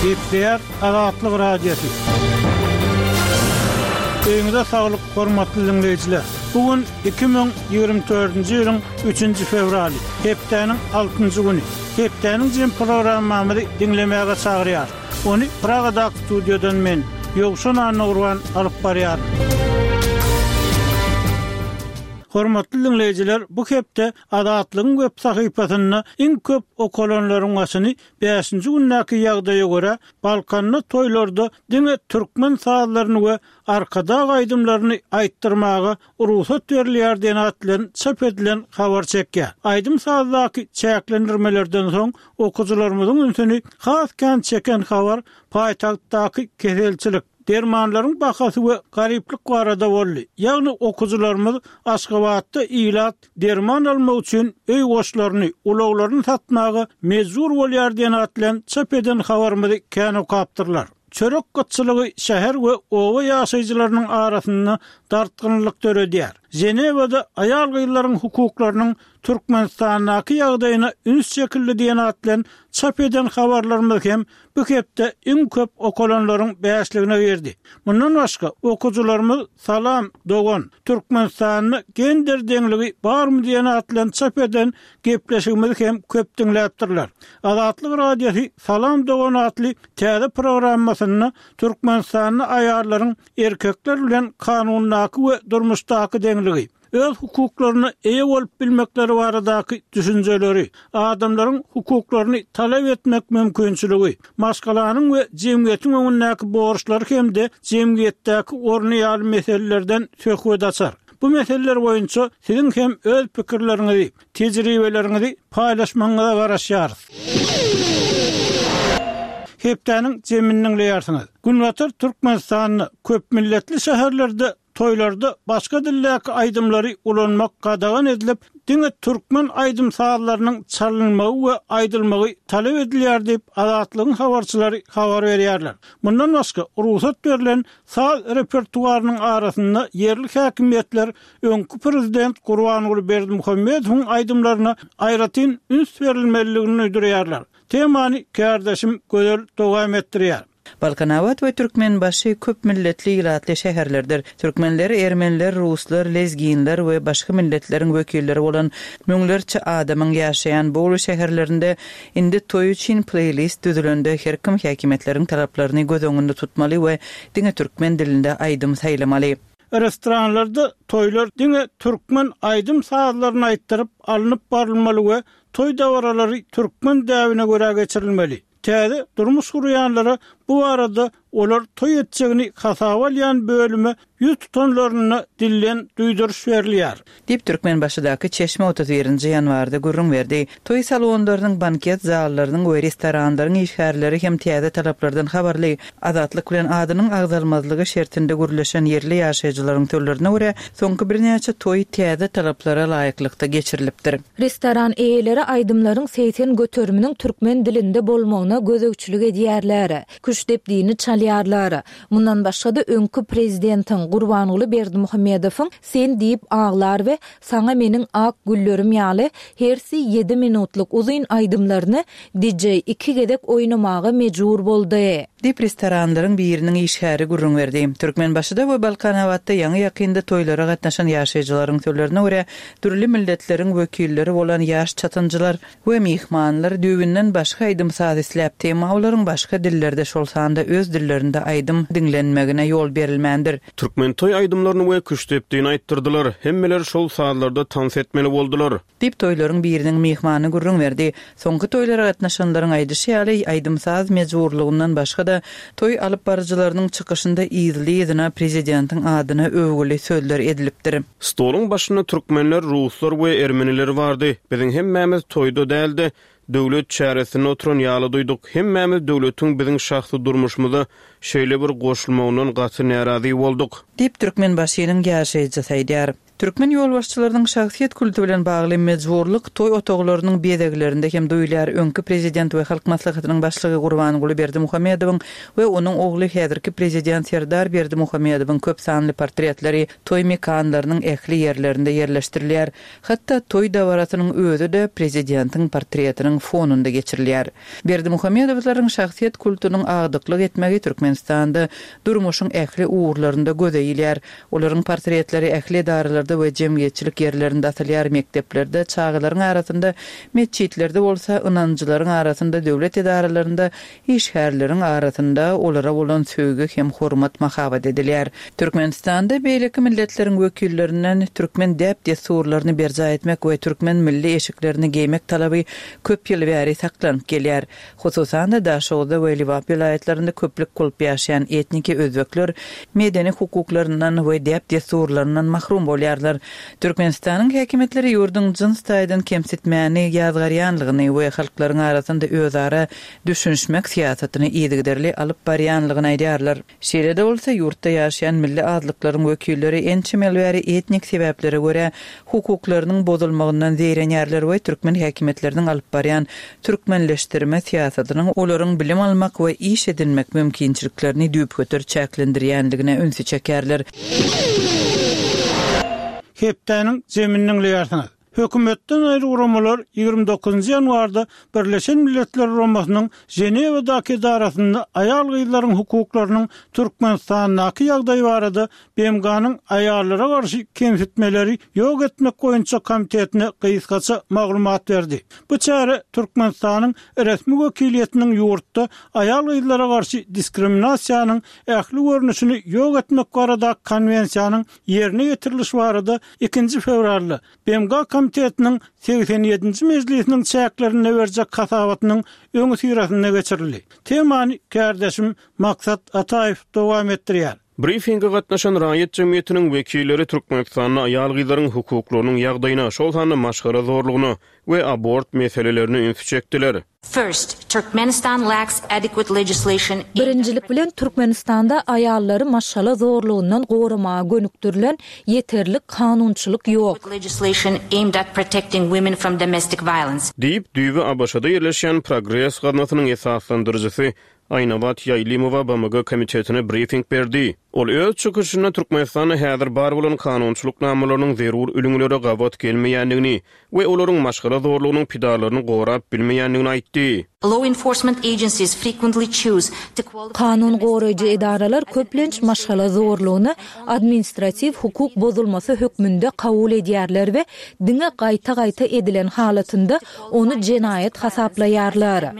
Gepleýär Azatlyk Radiosy. Öýüňize saglyk, hormatly diňleýjiler! Bu gün 2024-nji ýylyň üçünji fewraly, hepdäniň altynjy güni. Hepdäniň jem programmamyzy diňlemäge çagyrýarys. Ony Pragadaky studiýadan men, Ýowşan Annagurban alyp barýaryn. Hormatly diňleýjiler, bu hepde Azatlygyň web sahypasynda iň köp okalanlaryň başyny bäşinji gündäki ýagdaýa görä, Balkanda toýlarda diňe türkmen sazlaryny we Arkadag aýdymlaryny aýtdyrmaga rugsat berilýär diýen at bilen çap edilen habar çekýär. Aýdym-sazdaky çäklendirmelerden soň okyjylarymyzyň ünsüni has kän çeken habar paýtagtdaky keselçilik, dermanlaryň bahasy we garyplyk barada boldy. Ýagny okyjylarymyz Aşgabatda ilat derman almak üçin öý goşlaryny, ulaglaryny satmaga mejbur bolýar diýen at bilen çap eden habarymyzy kän okapdyrlar. Çörek gytçylygy şäher we oba ýaşaýjylarynyň arasynda dartgynlylyk döredýär. Ženewada aýal-gyzlaryň hukuklarynyň Türkmenistandaky ýagdaýyna üns çekildi diýen at bilen çap eden habarlarymyz hem bu hepde iň köp okalanlaryň bäşligine girdi. Mundan başga, okyjylarymyz Salam, dogan! Türkmenistanda gender deňligi barmy diýen at bilen çap eden gepleşigimizi hem köp diňläpdirler. Azatlyk Radiosy Salam, dogan atly täze programmasynda Türkmenistanda aýallaryň erkekler bilen kanundaky we durmuşdaky deňligi, öz hukuklaryna eýe bolup bilmekleri baradaky düşünjeleri, adamlaryň hukuklaryny talap etmek mümkinçiligi, maşgalanyň we jemgyýetiň öňündäki borçlary hem-de jemgyýetdäki orny ýaly meselelerden söhbet açar. Bu meseleler boýunça siziň hem öz pikirleriňizi, tejribeleriňizi paýlaşmagyňyza garaşýarys. Hepdäniň jemini diňleýärsiňiz. Günbatar Türkmenistanda köpmilletli şäherlerde Toýlarda başga dildäki aýdymlary ulanmak gadagan edilip, diňe türkmen aýdym-sazlarynyň çalynmagy we aýdylmagy talap edilýär diýip, Azatlygyň habarçylary habar berýärler. Mundan başga, rugsat berlen saz repertuarynyň arasynda ýerli häkimiýetler öňki prezident Gurbanguly Berdimuhamedowyň aýdymlaryna aýratyn üns berilmelidigini duýdurýarlar. Temany kärdeşim Gözel dowam etdirýär. Balkanabat we Türkmenbaşy köp milletli ilatly şäherlerdir. Türkmenler, ermeniler, ruslar, lezginler we başga milletleriň wekilleri bolan müňlerçe adamyň ýaşaýan bu uly şäherlerinde indi toý üçin pleýlist düzülende her kim häkimiýetleriň talaplaryny göz öňünde tutmaly we diňe türkmen dilinde aýdym saýlamaly. Restoranlarda toýlar diňe türkmen aýdym-sazlaryny aýtdyryp alnyp barylmaly we toý dabaralary türkmen däbine görä geçirilmeli. Täze durmuş gurýanlara bu barada olar toý etjegini hasaba alýan bölüme ýüz tutanlarynda dilden duýduryş berilýär. Diýip, Türkmenbaşydaky çeşme 31 nji ýanwarda gürrüň berdi. Toý salonlarynyň, banket zallarynyň we restoranlaryň işgärleri hem täze talaplardan habarly. Azatlyk bilen adynyň agzalmazlygy şertinde gürleşen ýerli ýaşaýjylaryň sözlerine görä, soňky birnäçe toý täze talaplara laýyklykda geçirilipdir. Restoran eýeleri aýdymlaryň 80 göteriminiň türkmen dilinde bolmagyna gözegçilik edýärler. Küştdepdini çalýarlar. Mundan başga-da öňki prezidentiň Gurbanguly Berdimuhamedowyň Sen diýip aglar we Saňa meniň ak güllerim ýaly hersi ýedi minutlyk uzyn aýdymlaryny DJ iki gezek oýnamaga mejbur boldy. Diýip, restoranlaryň biriniň işgäri gürrüň berdi. Türkmenbaşyda we Balkanabatda ýaňy-ýakynda toýlara gatnaşan ýaşaýjylaryň sözlerine görä, dürli milletleriň wekilleri bolan ýaş çatynjylar we myhmanlar düýbünden başga aýdym-saz isläpdi, emma olaryň başga dillerde, şol sanda öz dillerinde aýdym diňlenmegine ýol berilmändir. Türkmen toý aýdymlaryny we küştdepdini aýtdyrdylar. Hemmeler şol sazlarda tans etmeli boldular. Diýip, toýlaryň biriniň myhmany gürrüň berdi. Soňky toýlara gatnaşanlaryň aýdyşy ýaly, aýdym-saz mejburlygyndan başga-da, toý alypbaryjylarynyň çykyşynda yzly-yzyna prezidentiň adyna öwgüli sözler edilipdir. Stoluň başynda türkmenler, ruslar we ermeniler bardy. Biziň hemmämiz toýda däl-de, döwlet çäresinde oturan ýaly duýduk. Hemmämiz döwletiň biziň şahsy durmuşymyza şeýle bir goşulmagyndan gaty närazy bolduk. Diýip, Türkmenbaşynyň ýaşaýjysy aýdýar. Türkmen ýolbaşçylarynyň şahsyýet kulty bilen bagly mejburlyk toý otaglarynyň bezeglerinde hem duýulýar. Öňki prezident we Halk Maslahatynyň başlygy Gurbanguly Berdimuhamedowyň we onuň ogly häzirki prezident Serdar Berdimuhamedowyň köp sanly portretleri toý mekanlarynyň ähli ýerlerinde ýerleşdirilýär. Hatda toý dabarasynyň özi-de prezidentiň portretiniň fonunda geçirilýär. Berdimuhamedowlaryň şahsyýet kultunyň agdyklyk etmegi Türkmenistanda durmuşyň ähli ugurlarynda göze ilýär. Olaryň portretleri ähli edaralarda we jemgyýetçilik ýerlerinde asylýar, mekdeplerde, çagalaryň arasynda, metjitlerde bolsa, ynanjylaryň arasynda, döwlet edaralarynda, işgärleriň arasynda olara bolan söýgi hem hormat mahabat edilýär. Türkmenistanda beýleki milletleriň wekillerinden türkmen däp-dessurlaryny berjaý etmek we türkmen milli eşiklerini geýmek talaby köp ýyl bäri saklanyp gelýär. Hususan-da, Daşoguzda we Lebap welaýatlarynda köplük bolup ýaşaýan etniki özbekler medeni hukuklaryndan we däp-dessurlaryndan mahrum bolýarlar. Türkmenistanyň häkimiýetleri ýurduň jyns taýdan kemsitmäni ýazgarýanlygyny we halklaryň arasynda özara düşünişmek syýasatyny yzygiderli alyp barýanlygyny aýdýarlar. Şeýle-de bolsa, ýurtda ýaşaýan milli azlyklaryň wekilleri ençeme ýyl bäri etnik sebäplere görä hukuklarynyň bozulmagyndan zeýrenýärler we türkmen häkimiýetleriniň alyp barýan türkmenleşdirme syýasatynyň olaryň bilim almak we iş edinmek mümkinçiliklerini düýpgöter çäklendirýändigine ünsi çekýärler. Hepdäniň jemini diňleýärsiňiz. Hökümetden aýry guramalar 29 ýanwarda Birleşen Milletler Guramasynyň Ženewadaky edarasynda aýal-gyzlaryň hukuklarynyň Türkmenistandaky ýagdaýy barada BMG-niň Aýallara garşy kemsitmeleri ýok etmek boýunça komitetine gysgaça maglumat berdi. Bu çäre Türkmenistanyň resmi wekiliýetiniň ýurtda aýal-gyzlara garşy diskriminasiýanyň ähli görnüşini ýok etmek baradaky konwensiýanyň ýerine ýetirilişi barada ikinji fewralda BMG Komitetiniň 87-nji mejlisiniň çäklerinde berjek hasabatynyň öňüsyrasynda geçirildi. Temany kärdeşim Maksat Ataýew dowam etdirýär. Brifinge gatnaşan raýat jemgyýetiniň wekilleri Türkmenistanda aýal-gyzlaryň hukuklarynyň ýagdaýyna, şol sanda maşgala zorlugyna we abort meselelerine ünsi çekdiler. First, Turkmenistan lacks adequate legislation aimed at. Birinjilik bilen, Türkmenistanda aýallary maşgala zorlugyndan goramaga gönükdirilen ýeterlik kanunçylyk ýok. legislation aimed at protecting women from domestic violence. Diýip, düýbi ABŞ-da ýerleşýän Progres gaznasynyň esaslandyryjysy Aýnabat Ýaýlymowa BMG komitetine brifing berdi. Ol öz çykyşynda Türkmenistanda häzir bar bolan kanunçylyk namalarynyň zerur ülňülere gabat gelmeýändigini we olaryň maşgala zorlugynyň pidalaryny gorap bilmeýändigini aýtdy. Law enforcement agencies frequently choose to qualify Kanun goraýjy edaralar köplenç maşgala zorlugyny administratiw hukuk bozulmasy hökmünde kabul edýärler we diňe gaýta-gaýta edilen halatynda ony jenaýat hasaplaýarlar.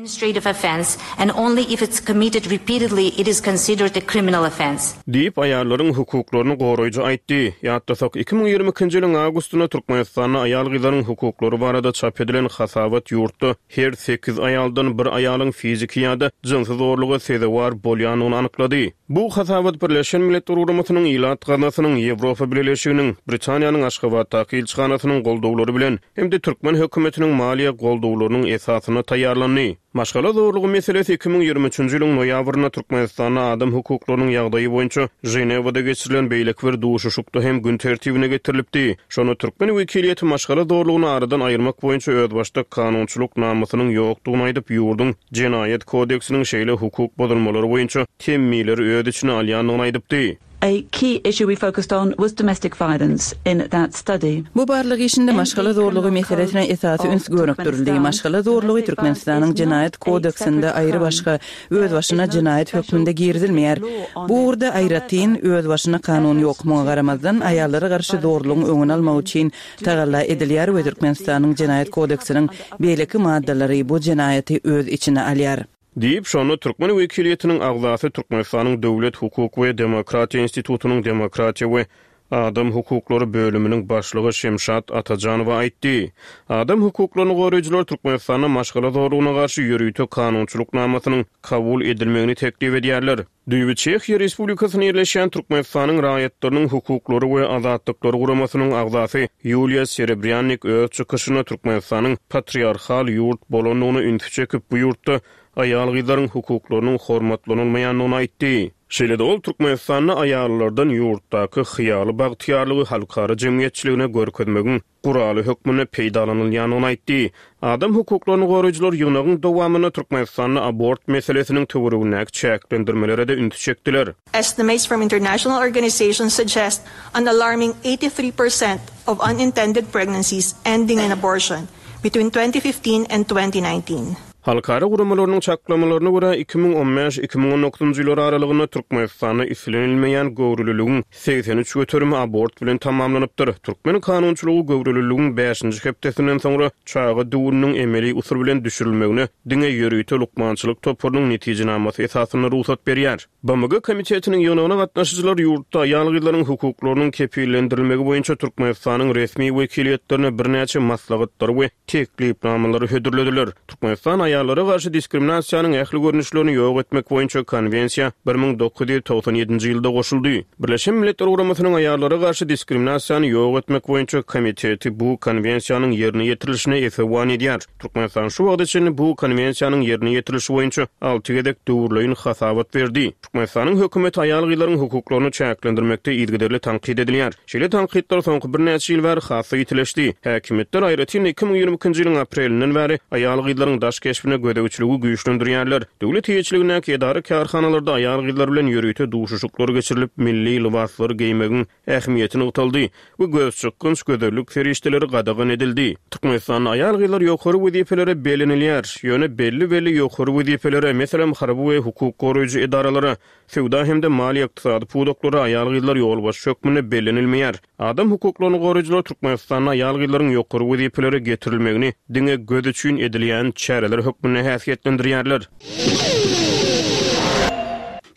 Diýip, aýallaryň hukuklaryny goraýjy aýtdy. Ýatlasak, 2022-nji ýylyň awgustynda Türkmenistanda aýal-gyzlaryň hukuklary barada çap edilen hasabat ýurtda her sekiz aýaldan bir aýalyň fiziki ýa-da jynsy zorluga sezewar bolýandygyny anyklady. Bu hasabat Birleşen Milletler Guramasynyň Ilat Gaznasynyň, Ýewropa Bileleşiginiň, Britaniýanyň Aşgabatdaky ilçihanasynyň goldawlary bilen hem-de türkmen hökümetiniň maliýe goldawlarynyň esasynda taýýarlandy. Maşgala zorlugy meselesi 2023-nji ýylyň noýabrynda Türkmenistanda adam hukuklarynyň ýagdaýy boýunça Ženewada geçirilen beýleki bir duşuşykda hem gün tertibine getirilipdi. Şonda türkmen wekiliýeti maşgala zorlugyny aradan aýyrmak boýunça özbaşdak kanunçylyk namasynyň ýokdugyny aýdyp, ýurduň Jenaýat kodeksiniň şeýle hukuk bozulmalary boýunça temmileri öz içine alýandygyny aýdypdy. A key issue we focused on was domestic violence in that study. Bu barlag işinde maşgala zorlugy meselesine esasy üns gönükdirildi. Maşgala zorlugy Türkmenistanyň Jenaýat kodeksinde aýry-başga, özbaşyna jenaýat hökmünde girizilmeýär. Bu ugurda aýratyn, özbaşyna kanun ýok. Muňa garamazdan, aýallara garşy zorlugyň öňüni almak üçin tagalla edilýär we Türkmenistanyň Jenaýat kodeksiniň beýleki maddalary bu jenaýaty öz içine alýar. Diýip, şonda türkmen wekiliýetiniň agzasy Türkmenistanyň Döwlet, hukuk we demokratiýa institutynyň Demokratiýa we adam hukuklary bölüminiň başlygy Şemşat Atajanowa aýtdy. Adam hukuklaryny goraýjylar Türkmenistanda maşgala zorlugyna garşy ýörite kanunçylyk namasynyň kabul edilmegini teklip edýärler. Düýbi Çehiýa Respublikasynda ýerleşýän Türkmenistanyň Raýatlarynyň hukuklary we azatlyklary guramasynyň agzasy Ýuliýa Serebrýannik öz çykyşynda Türkmenistanyň patriarhal ýurt bolandygyna ünsi çekip, bu ýurtda aýal-gyzlaryň hukuklarynyň hormatlanylmaýandygyny aýtdy. Şeýle-de ol Türkmenistanda aýallardan ýurtdaky hyýaly bagtyýarlygy halkara jemgyýetçiligine görkezmegiň guraly hökmünde peýdalanylýandygyny aýtdy. Adam hukuklaryny goraýjylar ýygnagyň dowamynda Türkmenistanda abort meselesiniň töweregindäki çäklendirmelere-de ünsi çekdiler. Estimates from international organizations suggest an alarming 83% of unintended pregnancies ending in abortion between 2015 and 2019. Halkara guramalarynyň çaklamalaryna görä, 2015, 2019 ýyllar aralygynda Türkmenistanda islenilmeýän göwreliligiň 83 göterimi abort bilen tamamlanypdyr. Türkmen kanunçylygy göwreliligiň bäşinji hepdesinden soňra çaga düwüniniň emeli usul bilen düşürilmegine diňe ýörite lukmançylyk toparynyň netijenamasy esasynda rugsat berýär. BMG Komitetiniň ýygnagyna gatnaşyjylar ýurtda aýal-gyzlaryň hukuklarynyň kepillendirilmegi boýunça Türkmenistanyň resmi wekiliýetlerine birnäçe maslahatlary we teklipnamalary hödürlediler. Türkmenistan aýallara garşy diskriminasiýanyň ähli görnüşlerini ýok etmek boýunça Konwensiýa 1997-nji ýylda goşuldy. Birleşen Milletler Guramasynyň Aýallara garşy diskriminasiýany ýok etmek boýunça Komiteti bu Konwensiýanyň ýerine ýetirilişine esewan edýär. Türkmenistan şu wagta çenli bu Konwensiýanyň ýerine ýetirilişi boýunça alty gezek döwürleýin hasabat berdi. Türkmenistanyň hökümeti aýal-gyzlaryň hukuklaryny çäklendirmekde yzygiderli tankyt edilýär. Şeýle tankytlar soňky birnäçe ýyl bäri has-da ýitileşdi. Häkimiýetler, aýratyn-da 2022-nji ýylyň aprelinden bäri aýal-gyzlaryň daş keşbine gözegçiligi güýçlendirýärler. Döwlet eýeçiligindäki edara-kärhanalarda aýal-gyzlar bilen ýörite duşuşyklar geçirilip, milli lybaslary geýmegiň ähmiýeti nygtaldy we gözçykgynç gözellik serişdeleri gadagan edildi. Türkmenistanda aýal-gyzlar ýokary wezipelere bellenilýär, ýöne belli-belli ýokary wezipelere, meselem, harby we hukuk goraýjy edaralara, söwda hem-de maliýe-ykdysady pudaklara aýal-gyzlar ýolbaşçy hökmünde bellenilmeýär. Adam hukuklaryny goraýjylar Türkmenistanda aýal-gyzlaryň ýokary wezipelere getirilmegini diňe göz üçin edilýän çäreler hökmünde häsiýetlendirýärler.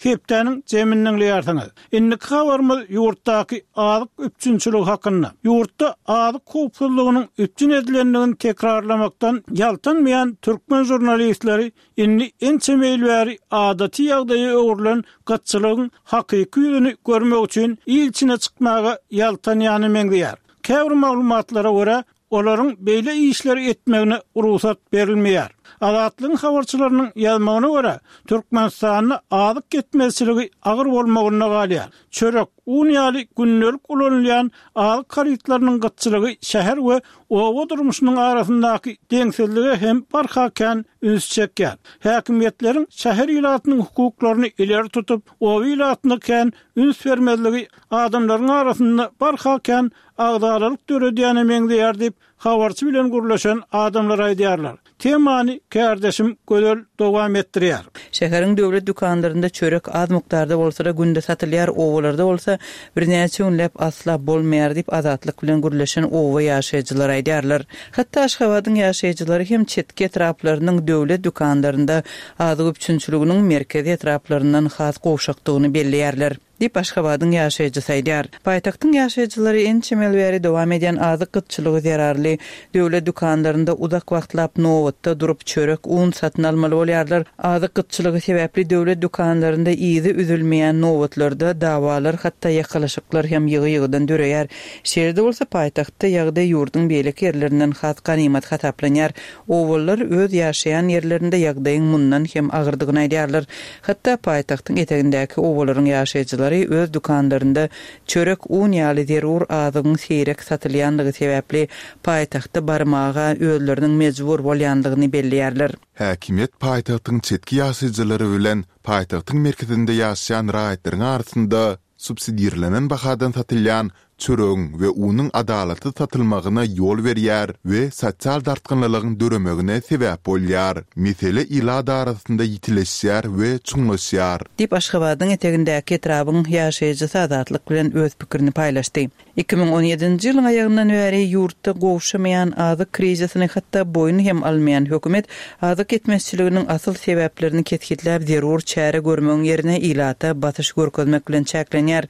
Hepdäniň jemini diňleýärsiňiz. Indiki habarymyz ýurtdaky azyk üpjünçiligi hakynda. Ýurtda azyk howpsuzlygynyň üpjün edilendigini tekrarlamakdan ýaltanmaýan türkmen žurnalistleri indi ençeme ýyl bäri adaty ýagdaýa öwrülen gytçylygyň hakyky ýüzüni görmek üçin il içine çykmaga ýaltanýana meňzeýär. Käbir maglumatlara görä, Olaryň beýle işleri etmegine rugsat berilmeýär. Azatlygyň habarçylarynyň ýazmagyna görä, Türkmenistanda azyk ýetmezçiligi agyr bolmagynda galýar. Çörek, un ýaly gündelik ulanylýan azyk harytlarynyň gytçylygy şäher we oba durmuşynyň arasyndaky deňsizlige hem barha kän üns çekýär. Häkimiýetleriň şäher ilatynyň hukuklaryny ileri tutup, oba ilatyna kän üns bermezligi adamlaryň arasynda barha kän agzalalyk döredýäne meňzeýär diýip, habarçy bilen gürleşen adamlar aýdýarlar. Temany kärdeşim Gözel dowam etdirýär. Şäheriň döwlet dükanlarynda çörek az mukdarda bolsa-da günde satylýar, obalarda bolsa birnäçe günläp asla bolmaýar diýip, Azatlyk bilen gürleşen oba ýaşaýjylary aýdýarlar. Hatda Aşgabadyň ýaşaýjylary hem çetki etraplarynyň döwlet dükanlarynda azyk üpjünçiliginiň merkezi etraplaryndan has gowşakdygyny belleýärler. Diýip, Aşgabadyň ýaşaýjysy aýdýar. Paýtagtyň ýaşaýjylary ençeme ýyl bäri dowam edýän azyk gytçylygy zerarly döwlet dükanlarynda uzak wagtlap nobatda durup, çörek, un satyn almaly bolýarlar. Azyk gytçylygy sebäpli döwlet dükanlarynda yzy üzülmeýän nobatlarda dawalar, hatda ýakalaşyklar hem ýygy-ýygydan döreýär. Şeýle-de bolsa, paýtagtda ýagdaý ýurduň beýleki ýerlerinden has ganymat hasaplanýar. Obalylar öz ýaşaýan ýerlerinde ýagdaýyň mundan hem agyrdygyny aýdýarlar. Hatda paýtagtyň etegindäki obalaryň ýaşaýjylary öz dükanlarynda çörek, un ýaly zerur azygyň seýrek satylýanlygy sebäpli paýtagta barmaga özleriniň mejbur bolýanlygyny belleýärler. Häkimiýet paýtagtyň çetki ýaşaýjylary bilen paýtagtyň merkezinde ýaşaýan raýatlaryň arasynda subsidirlenen bahadan satylýan çöregiň we unuň adalatsyz satylmagyna ýol berýär we sosial dartgynlylygyň döremegine sebäp bolýar. Mesele ilat arasynda ýitileşýär we çuňlaşýar. Diýip, Aşgabadyň etegindäki etrabyň ýaşaýjysy Azatlyk bilen öz pikirini paýlaşdy. 2017-nji ýylyň aýagyndan bäri ýurtda gowşamaýan azyk krizisini hatda boýun hem almaýan hökümet azyk ýetmezçiliginiň asyl sebäplerini kesgitläp zerur çäre görmegiň ýerine ilata basyş görkezmek bilen çäklenýär.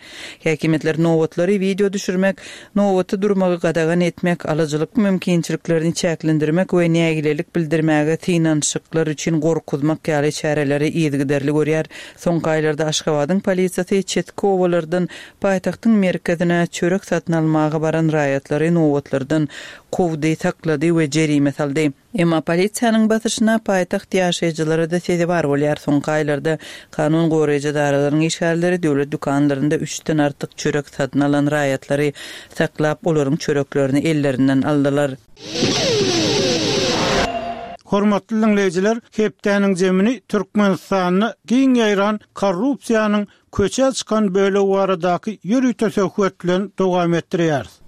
Häkimiýetler nobatlary wideo düşürmek, nobatda durmagy gadagan etmek, alyjylyk mümkinçiliklerini çäklendirmek we nägilelik bildirmäge synanyşyklar üçin gorkuzmak ýaly çäreleri yzygiderli görýär. Soňky aýlarda Aşgabadyň polisiýasy çetki obalardan Paýtagtyň merkezine çörek satyn almaga baran raýatlary nobatlardan kowdy, saklady we jerime saldy. Emma polisiýanyň basyşyna paýtagt ýaşaýjylary-da sezewar bolýar. Soňky aýlarda kanun goraýjy edaralaryň işgärleri döwlet dükanlarynda üçden artyk çörek satyn alan raýatlary saklap, olaryň çöreklerini ellerinden aldylar. Hormatly diňleýjiler, hepdäniň jemini Türkmenistanda giň ýaýran korrupsiýanyň köçä çykan bölegi baradaky ýörite söhbet bilen dowam etdirýäris.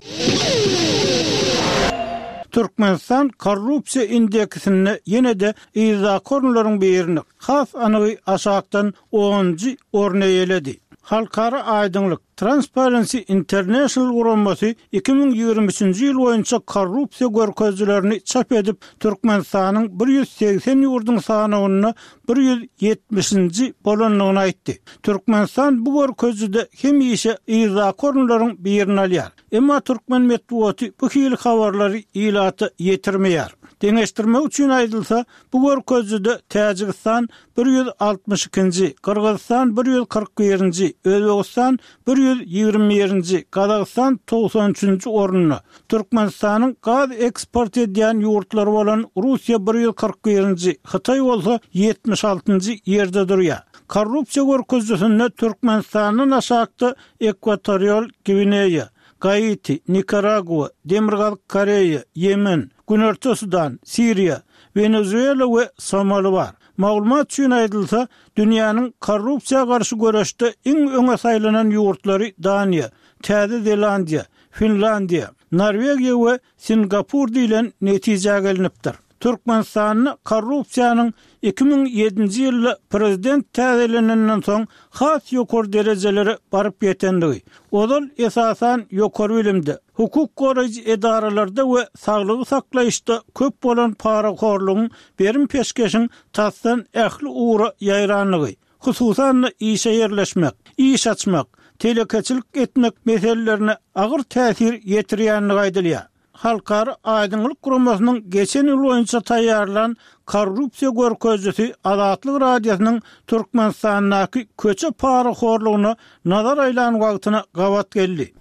Türkmenistan korrupsiýa indeksinde ýene-de yzdaky orunlaryň birini, has anygy aşakdan onunjy orny eýeledi. Halkara aýdyňlyk, Transparency International guramasy 2023-nji ýyl boýunça korrupsiýa görkezijilerini çap edip, Türkmenistanyň 180 ýurduň sanawynda 170-nji bolandygyny aýtdy. Türkmenistan bu görkezijide hemişe yzdaky orunlaryň birini alýar. Emma türkmen metbugaty bu hili habarlary ilata ýetirmeýär. Deňeşdirmek üçin aýdylsa, bu görkezijide Täjigistan 162-nji, Gyrgyzystan 141-nji, Özbegistan 121-nji, Gazagystan 93-nji orunda, Türkmenistanyň gaz eksport edýän ýurtlary bolan Russiýa 141-nji, Hytaý bolsa 76-njy ýerde durýar. Korrupsiýa görkezijisinde Türkmenistandan aşakda Ekwatorial Gwineýa, Gaiti, Nikaragua, Demirgazyk Koreýa, Ýemen, Günorta Sudan, Siriýa, Wenezuela we Somali bar. Maglumat üçin aýdylsa, dünýäniň korrupsiýa garşy göreşde iň öňe saýlanan ýurtlary Daniýa, Täze Zelandiýa, Finlandiýa, Norwegiýa we Singapur diýlen netijä gelnipdir. Türkmenistanda korrupsiýanyň 2007-nji ýylda prezident täzelenenden soň has ýokary derejelere baryp ýetendigi, ozal esasan ýokary bilimde, hukuk goraýjy edaralarda we saglygy saklaýyşda köp bolan parahorlugyň berim-peşgeşiň tasdan ähli ugra ýaýrandygy, hususan-da işe ýerleşmek, iş açmak, telekeçilik etmek meselelerine agyr täsir ýetirýändigi aýdylýar. Halkara aýdyňlyk guramasynyň geçen ýyl boýunça taýýarlan korrupsiýa görkezijisi Azatlyk Radiosynyň Türkmenistandaky köçe parahorlugyna nazar aýlan wagtyna gabat geldi.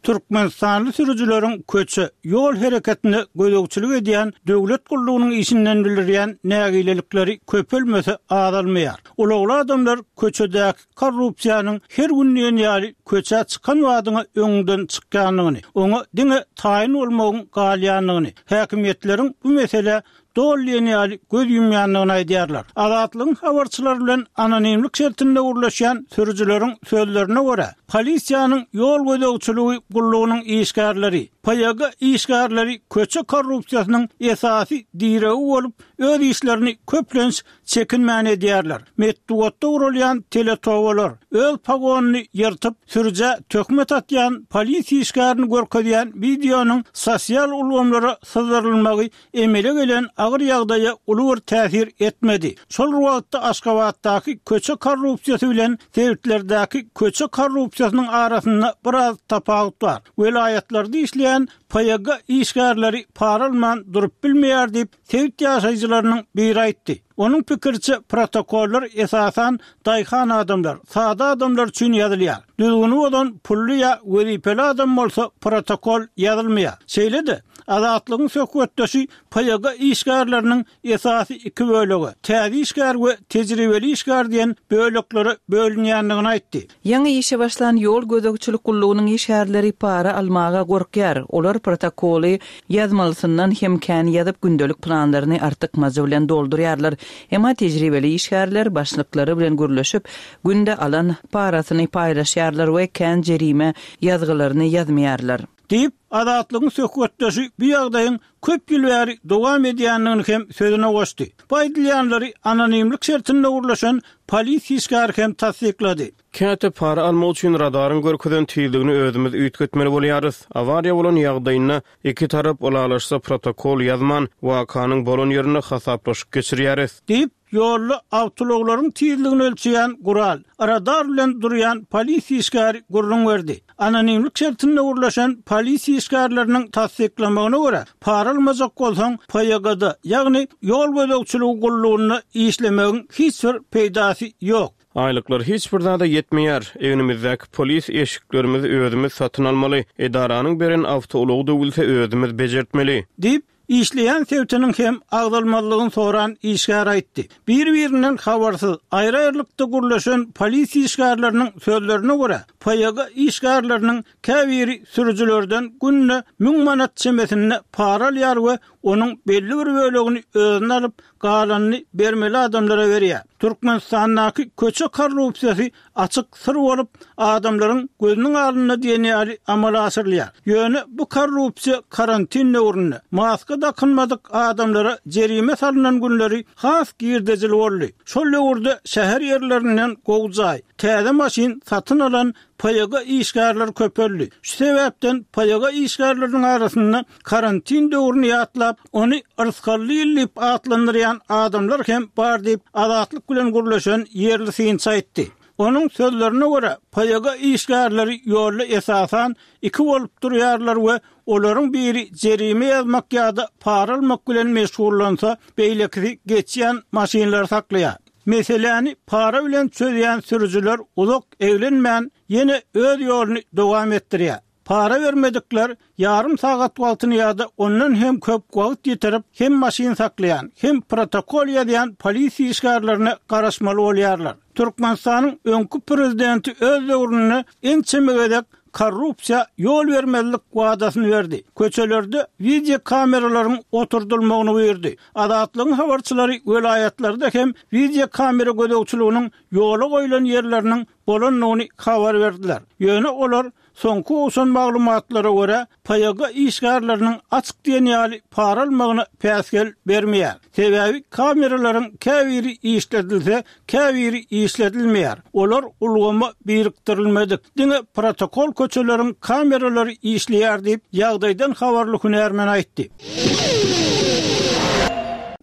Türkmenistanly sürüjileriň köçe, ýol hereketine gözegçilik edýän döwlet gullugynyň işinden bildirýän nägilelikleri köpelmese azalmaýar. Ulagly adamlar köçedäki korrupsiýanyň her gün diýen ýaly köçä çykan badyňa öňüňden çykýandygyny, oňa diňe taýyn bolmagyň galýandygyny, häkimiýetleriň bu meselä doly diýen ýaly göz ýumýandygyny aýdýarlar. Azatlygyň habarçylary bilen anonimlik şertinde gürleşýän sürüjileriň sözlerine görä, polisiýanyň ýol gözegçiligi gullugynyň işgärleri, PYG işgärleri köçe korrupsiýasynyň esasy diregi bolup, öz işlerini köplenç çekinmän edýärler. Metbugatda guralýan teletobalar, öz pogonyny ýyrtyp, sürüjä töhmet atýan polisiýa işgärini görkezýän wideonyň sosial ulgamlara syzdyrylmagy emele gelen agyr ýagdaýa uly bir täsir etmedi. Şol bir wagtda Aşgabatdaky köçe korrupsiýasy bilen sebitlerdäki köçe korrupsiýasynyň arasynda biraz tapawut bar. Welaýatlarda işleýän PYG işgärleri para alman durup bilmeýär diýip, sebit ýaşaýjylarynyň biri aýtdy. Onuň pikiriçe, protokollar esasan daýhan adamlar, sada adamlar üçin ýazylýar. Düzgüni bozan pully ýa wezipeli adam bolsa protokol ýazylmaýar. Şeýle-de, Azatlygyň söhbetdeşi PYG işgärleriniň esasy iki bölege, täze işgär we tejribeli işgär diýen böleklere bölünýändigini aýtdy. Ýaňy işe başlan ýol gözegçilik gullugynyň işgärleri para almaga gorkýar. Olar protokoly ýazmalysyndan hem kän ýazyp, gündelik planlaryny artykmajy bilen doldurýarlar. Emma tejribeli işgärler başlyklary bilen gürleşip, günde alan parasyny paýlaşýarlar we kän jerime ýazgylaryny ýazmaýarlar. Diýip, Azatlygyň söhbetdeşi bu ýagdaýyň köp ýyl bäri dowam edýändigini hem sözüne goşdy. Bu aýdylýanlary anonimlik şertinde gürleşen polisiýa işgäri hem tassyklady. Käte para almak üçin radaryň görkezen tizligini özümiz üýtgetmeli bolýarys. Awariýa bolan ýagdaýynda iki tarap ylalaşsa protokol ýazman, wakanyň bolan ýerinde hasaplaşyk geçirýäris. Diýip, Ýolda awtoulaglaryň tizligini ölçeýän gural, radar bilen durýan polisiýa işgäri gürrüň berdi. Anonimlik şertinde gürleşen polisiýa işgärleriniň tassyklamagyna görä, para almajak bolsaň, PYG-da, ýagny ýol gözegçiligi gullugynda işlemegiň hiç bir peýdasy ýok. Aýlyklar hiç bir zada ýetmeýär. Egnimizdäki polis eşiklerimizi özümiz satyn almaly. Edaranyň beren awtoulagy döwülse özümiz bejertmeli. Diýip, işleýän sebitiniň hem agzalmazlygyny soran işgär aýtdy. Bir-birinden habarsyz, aýry-aýrylykda gürleşen polisiýa işgärleriniň sözlerine görä, PYG işgärleriniň käbiri sürüjilerden günde müň manat çemesinde para alýar we onuň belli bir bölegini özüne alyp, galanyny bermeli adamlara berýär. Türkmenistandaky köçe korrupsiýasy açyk syr bolup, adamlaryň gözüniň alnynda diýen ýaly amala aşyrylýar. Ýöne bu korrupsiýa karantin döwründe, maska dakynmadyk adamlara jerime salnan günleri has girdejili boldy. Şol döwürde şäher ýerlerinden gowy jaý, täze maşyn satyn alan PYG işgärleri köpeldi. Şu sebäpden PYG işgärleriniň arasynda karantin döwrüni ýatlap, ony yrsgally ýyl diýip atlandyrýan adamlar hem bar diýip, Azatlyk bilen gürleşen ýerli synçy aýtdy. Onuň sözlerine görä, PYG işgärleri ýolda esasan iki bolup durýarlar we olaryň biri jerime ýazmak ýa-da para almak bilen meşgullansa, beýlekisi geçýän maşynlary saklaýar. Meseläni para bilen çözýän sürüjiler uzak eglenmän, ýene öz ýoluny dowam etdirýär. Para bermedikler ýarym sagat wagtyny ýa-da ondan hem köp wagt ýitirip, hem maşyn saklaýan, hem protokol ýazýan polisiýa işgärlerine garaşmaly bolýarlar. Türkmenistanyň öňki prezidenti öz döwründe ençeme gezek korrupsiýa ýol bermezlik wadasyny berdi. Köçelerde wideokameralaryň oturdylmagyny buýurdy. Azatlygyň habarçylary welaýatlarda hem wideokamera gözegçiliginiň ýola goýlan ýerleriniň bolandygyny habar berdiler. Ýöne olar soňky gowşan maglumatlara görä, PYG işgärleriniň açyk diýen ýaly para almagyna päsgel bermeýär. Sebäbi kameralaryň käbiri işledilse, käbiri işledilmeýär. Olar ulgama birikdirilmedik. Diňe protokol köçeleriň kameralary işleýär diýip, ýagdaýdan habarly hünärmen aýtdy.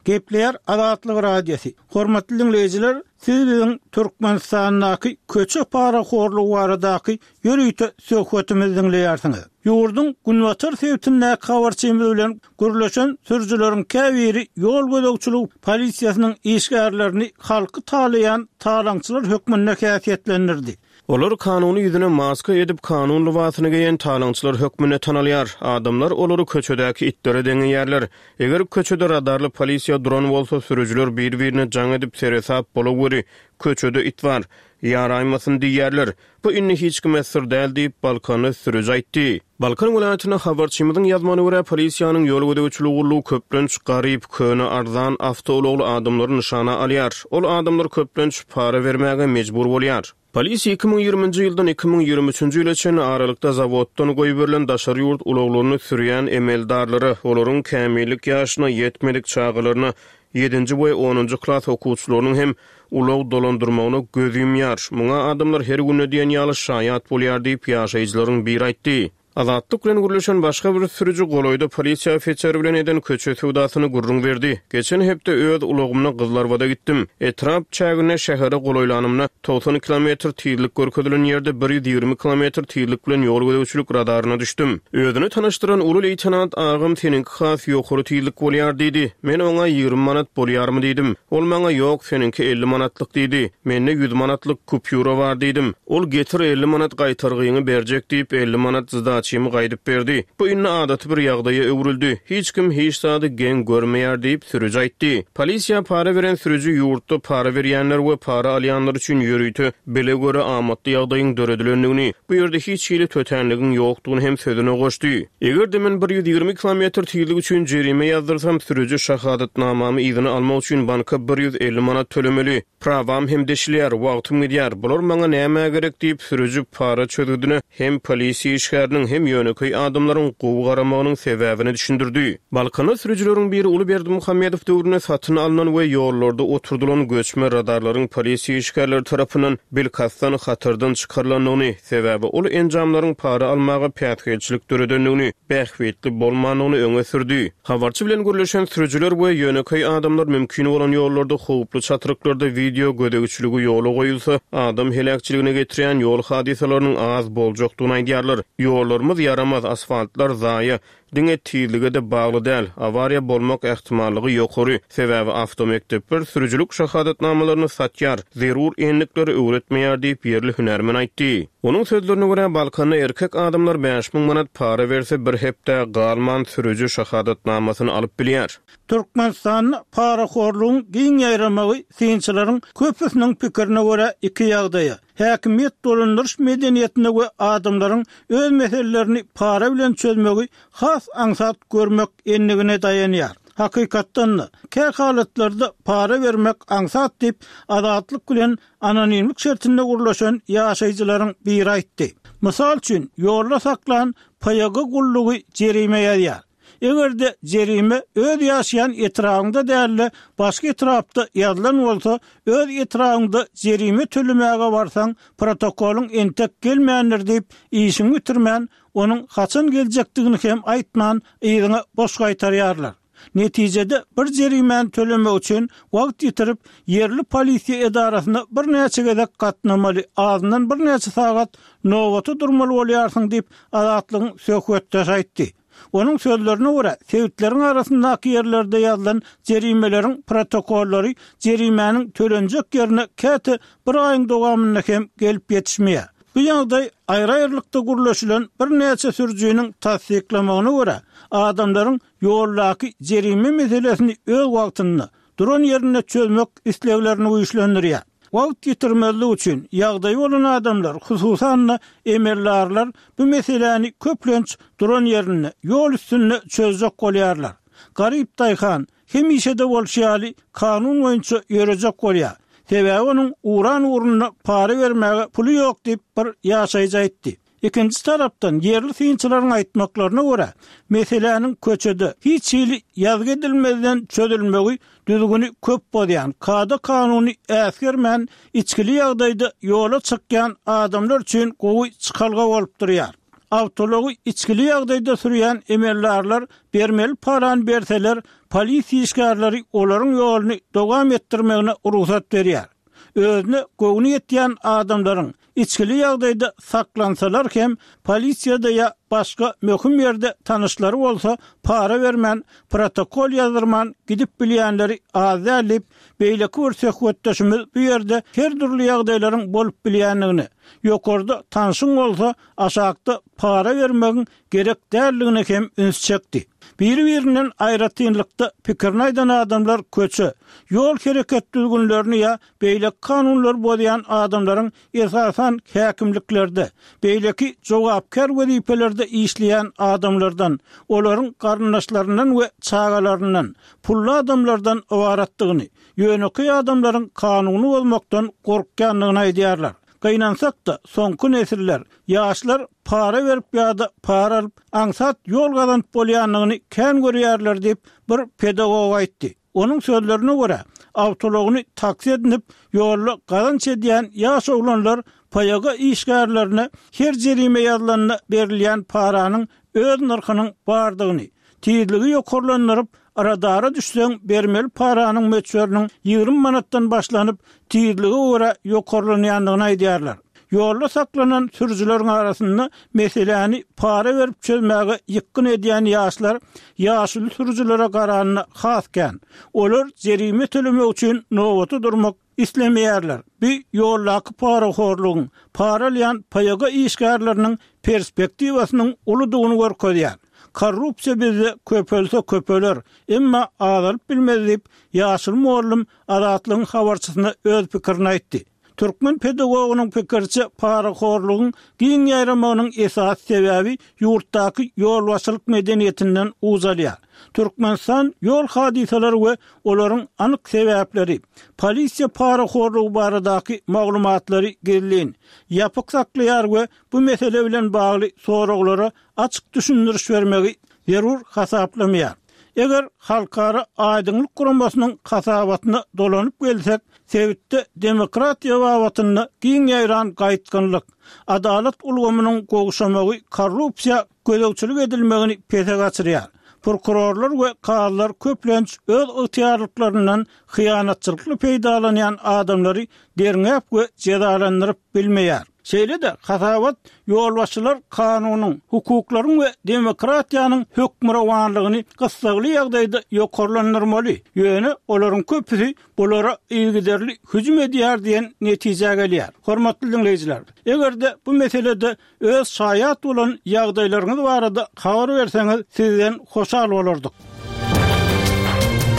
Gepleýär Azatlyk Radiosy. Hormatly diňleýjiler, siz biziň Türkmenistandaky köçe parahorlugy baradaky ýörite söhbetimizi diňleýärsiňiz. Ýurduň günbatar sebitindäki habarçymyz bilen gürleşen sürüjileriň käbiri ýol gözegçiligi polisiýasynyň işgärlerini halky talaýan talaňçylar hökmünde häsiýetlendirdi. Olar kanuny ýüzüne maska edip, kanun lybasyny geýen talaňçylar hökmünde tanalýar. Adamlar olary köçedäki itlere deňeýärler. Eger köçede radarly polisiýa duran bolsa, sürüjiler bir-birine jaň edip, seresap bolaweri, köçede it bar, ýaraýmasyn diýýärler. Bu indi hiç kime syr däl diýip, balkanly sürüji aýtdy. Balkan welaýatynda habarçymyzyň ýazmagyna görä, polisiýanyň ýol gözegçiligi gullugy köplenç garyp, köne, arzan awtoulagly adamlary nyşana alýar. Ol adamlar köplenç para bermäge mejbur bolýar. Polisiýa 2020-nji ýyldan 2023-nji ýyla çenli aralykda zawoddan goýberilen daşary ýurt ulaglaryny sürýän emeldarlara, olaryň kämillik ýaşyna ýetmedik çagalaryna, ýedinji we onunjy klas okuwçylarynyň hem ulag dolandyrmagyna göz ýumýar. Muňa adamlar her günde diýen ýaly şaýat bolýar diýip, ýaşaýjylaryň biri aýtdy. Azatlyk bilen gürleşen başga bir sürüji golaýda polisiýa ofiseri bilen eden köçe söwdasyny gürrüň berdi. Geçen hepde öz ulagymda Gyzlarbada gitdim. Etrap çäginde şähere golaýlanymda, 90 kilometr tizlik görkezilen ýerde 120 kilometr tizlik bilen ýol gözegçilik radaryna düşdüm. Özüni tanyşdyran uly leýtenant agam seniňki has ýokary tizlik bolýar diýdi. Men oňa 20 manat bolýarmy diýdim. Ol maňa ýok seniňki 50 manatlyk diýdi. Mende 100 manatlyk kupýura bar diýdim. Ol getir 50 manat gaýtargyňy berjek diýip 50 manat zdaçymy gaýdyp berdi. Bu indi adaty bir ýagdaýa öwrüldi. Hiç kim hiç zady geň görmeýär diýip sürüji aýtdy. Polisiýa para beren sürüji ýurtda para berýänler we para alýanlar üçin ýörite bile göre amatly ýagdaýyň döredilendigini, bu ýerde hiç hili tötänligiň ýokdugyny hem sözüne goşdy. Eger-de men 120 kilometr tizlik üçin jerime ýazdyrsam, sürüji şahadatnamamy yzyna almak üçin banka 150 manat tölemeli. Prawam hem deşilýär, wagtym gidýär. Bular maňa nämä gerek diýip, sürüji para çözgüdine hem polisiýa işgäriniň, hem ýönekeý adamlaryň gowy garamagynyň sebäbini düşündirdi. Balkanda sürüjileriň biri uly Berdimuhamedow döwründe satyn alnan we ýollarda oturdylan göçme radarlaryň polisiýa işgärleri tarapyndan bilkastdan hatardan çykarylandygyny, sebäbi ol enjamlaryň para almaga päsgelçilik döredendigini, bähbitli bolmandygyny öňe sürdi. Habarçy bilen gürleşen sürüjiler we ýönekeý adamlar mümkin bolan ýollarda howply çatryklarda wideo gözegçiligi ýola goýulsa, adam heläkçiligine getirýän ýol hadysalarynyň az boljakdygyny aýdýarlar. Ýollarymyz ýaramaz, asfaltlar zaýa. Diňe tizlige-de bagly däl, awariýa bolmak ähtimallygy ýokary, sebäbi awtomekdepler sürüjilik şahadatnamalaryny satýar, zerur endikleri öwretmeýär diýip, ýerli hünärmen aýtdy. Onuň sözlerine görä, Balkanda erkek adamlar 5000 manat para berse, bir hepdä galman sürüji şahadatnamasyny alyp bilýär. Türkmenistanda parahorlugyň giň ýaýramagy synçylaryň köpüsiniň pikirine görä iki ýagdaýa, häkimiýet dolandyryş medeniýetine we adamlaryň öz meselelerini para bilen çözmegi has aňsat görmek endigine daýanýar. Hakykatdan-da, kä halatlarda para bermek aňsat diýip, Azatlyk bilen anonimlik şertinde gürleşen ýaşaýjylaryň biri aýtdy. Mysal üçin, ýolda saklan PYG gullugy jerime ýazýar. Eger-de jerime öz ýaşaýan etrabyňda däl-de, başga etrapda ýazylan bolsa, öz etrabyňda jerime tölemäge barsaň, protokolyň entek gelmändir diýip, işiňi bitirmän, onuň haçan geljekdigini hem aýtman, yzyňa boş gaýtarýarlar. Netijede, bir jerimäni tölemek üçin wagt ýitirip, ýerli polisiýa edarasyna birnäçe gezek gatnamaly, azyndan birnäçe sagat nobata durmaly bolýarsyň diýip, Azatlygyň söhbetdeşi aýtdy. Onuň sözlerine görä, sebitleriň arasyndaky ýerlerde ýazylan jerimeleriň protokollary jerimäniň tölenjek ýerine käte bir aýyň dowamynda hem gelip ýetişmeýär. Bu ýagdaý aýry-aýrylykda gürleşilen birnäçe sürüjiniň tassyklamagyna görä, adamlaryň ýoldaky jerime meselesini öz wagtynda, duran ýerinde çözmek isleglerini güýçlendirýär. Wagt ýitirmezlik üçin, ýagdaýy bolan adamlar, hususan-da, emeldarlar bu meseläni köplenç duran ýerinde, ýol üstünde çözjek bolýarlar. Garyp daýhan, hemişe-de bolşy ýaly, kanun boýunça ýörejek bolýar. Sebäbi onuň uran ugrunda para bermäge puly ýok diýip, bir ýaşaýjy aýtdy. Ikinji tarapdan, ýerli synçylaryň aýtmaklaryna görä, meseläniň köçede, hiç hili ýazgy edilmezden çözülmegi düzgüni köp bozýan, kada-kanuny äsgermän, içgili ýagdaýda ýola çykýan adamlar üçin gowy çykalga bolup durýar. Awtoulagy içgili ýagdaýda sürýän emeldarlar bermeli parany berseler, polisiýa işgärleri olaryň ýoluny dowam etdirmegine rugsat berýär. Özüne göwni ýetýän adamlaryň içgili ýagdaýda saklansalar hem, polisiýada ýa başga möhüm ýerde tanyşlary bolsa, para bermän, protokol ýazdyrman gidip bilýänleri az däl diýip, beýleki bir söhbetdeşimiz bu ýerde her dürli ýagdaýlaryň bolup bilýändigine, ýokarda tanşyň bolsa, aşakda para bermegiň gerek däldigine hem üns çekdi. Biri-birinden aýratynlykda pikirini aýdan adamlar köçe, ýol hereket düzgünlerini ýa beýleki kanunlary bozýan adamlaryň esasan häkimliklerde, beýleki jogapkär wezipelerde işleýän adamlardan, olaryň garyndaşlaryndan we çagalaryndan, pully adamlardan ybaratdygyny, ýönekeý adamlaryň kanuny bozmakdan gorkýandygyny aýdýarlar. Gynansak-da, soňky nesiller, ýaşlar para berip ýa-da para alyp, aňsat ýol gazanyp bolýandygyny kän görýärler diýip, bir pedagog aýtdy. Onuň sözlerine görä, awtoulagyny taksi edinip, ýolda gazanç edýän ýaş oglanlar PYG işgärlerine her jerime ýazylanda berilýän paranyň öz nyrhynyň bardygyny, tizligi ýokarlandyryp, radara düşseň bermeli paranyň möçberiniň 20 manatdan başlanyp, tizlige görä ýokarlanýandygyny aýdýarlar. Ýolda saklanan sürüjileriň arasynda meseläni para berip çözmäge ýykgyn edýän ýaşlar ýaşuly sürüjilere garanda has kän. Olar jerime tölemek üçin nobata durmak islemeýärler. Bu ýoldaky parahorlugyň, para alýan PYG işgärleriniň perspektiwasynyň uludygyny görkezýär. Korrupsiýa bizde köpelse köpeler, emma azalyp bilmez diýip, ýaşuly mugallym Azatlygyň habarçysyna öz pikirini aýtdy. Türkmen pedagogynyň pikiriçe, parahorlugyň giň ýaýramagynyň esasy sebäbi ýurtdaky ýolbaşçylyk medeniýetinden uç alýar. Türkmenistan ýol hadysalary we olaryň anyk sebäpleri, polisiýa parahorlugy baradaky maglumatlary gizlin, ýapyk saklaýar we bu mesele bilen bagly soraglara açyk düşündiriş bermegi zerur hasaplamaýar. Eger Halkara aýdyňlyk guramasynyň hasabatyna dolanyp gelsek, sebitde demokratiýa babatynda giň ýaýran gaýtgynlyk, adalat ulgamynyň gowşamagy korrupsiýa gözegçilik edilmegini pese gaçyrýar. Prokurorlar we kazylar köplenç öz ygtyýarlyklaryndan hyýanatçylykly peýdalanýan adamlary derňäp we jezalandyryp bilmeýär. Şeýle-de, hasabat ýolbaşçylar kanunyň, hukuklaryň we demokratiýanyň hökmürowanlygyny gyssagly ýagdaýda ýokarlandyrmaly, ýöne olaryň köpüsi bulara yzygiderli hüjüm edýär diýen netijä gelýär. Hormatly diňleýjiler, eger-de bu meselede Öz şaýat bolan ýagdaýlaryňyz barada habar berseňiz sizden hoşal bolardyk.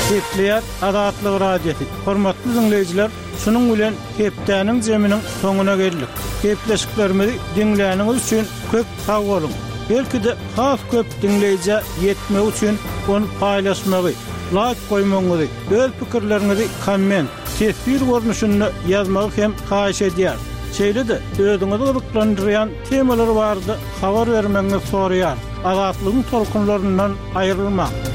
Gepleýär Azatlyk Radiosy. Hormatly diňleýjiler, şunuň bilen hepdäniň jeminiň soňuna geldik. Gepleşiklerimizi diňläniňiz üçin köp sag boluň. Belki-de has köp diňleýjä ýetmegi üçin ony paýlaşmagy, laýk goýmagyňyzy, öz pikirleriňizi komment, teswir görnüşinde ýazmagy hem haýyş edýäris. Şeýle-de özüňizi gyzyklandyrýan temalar barada habar bermegiňizi soraýarys. Azatlygyň tolkunlaryndan aýrylmaň!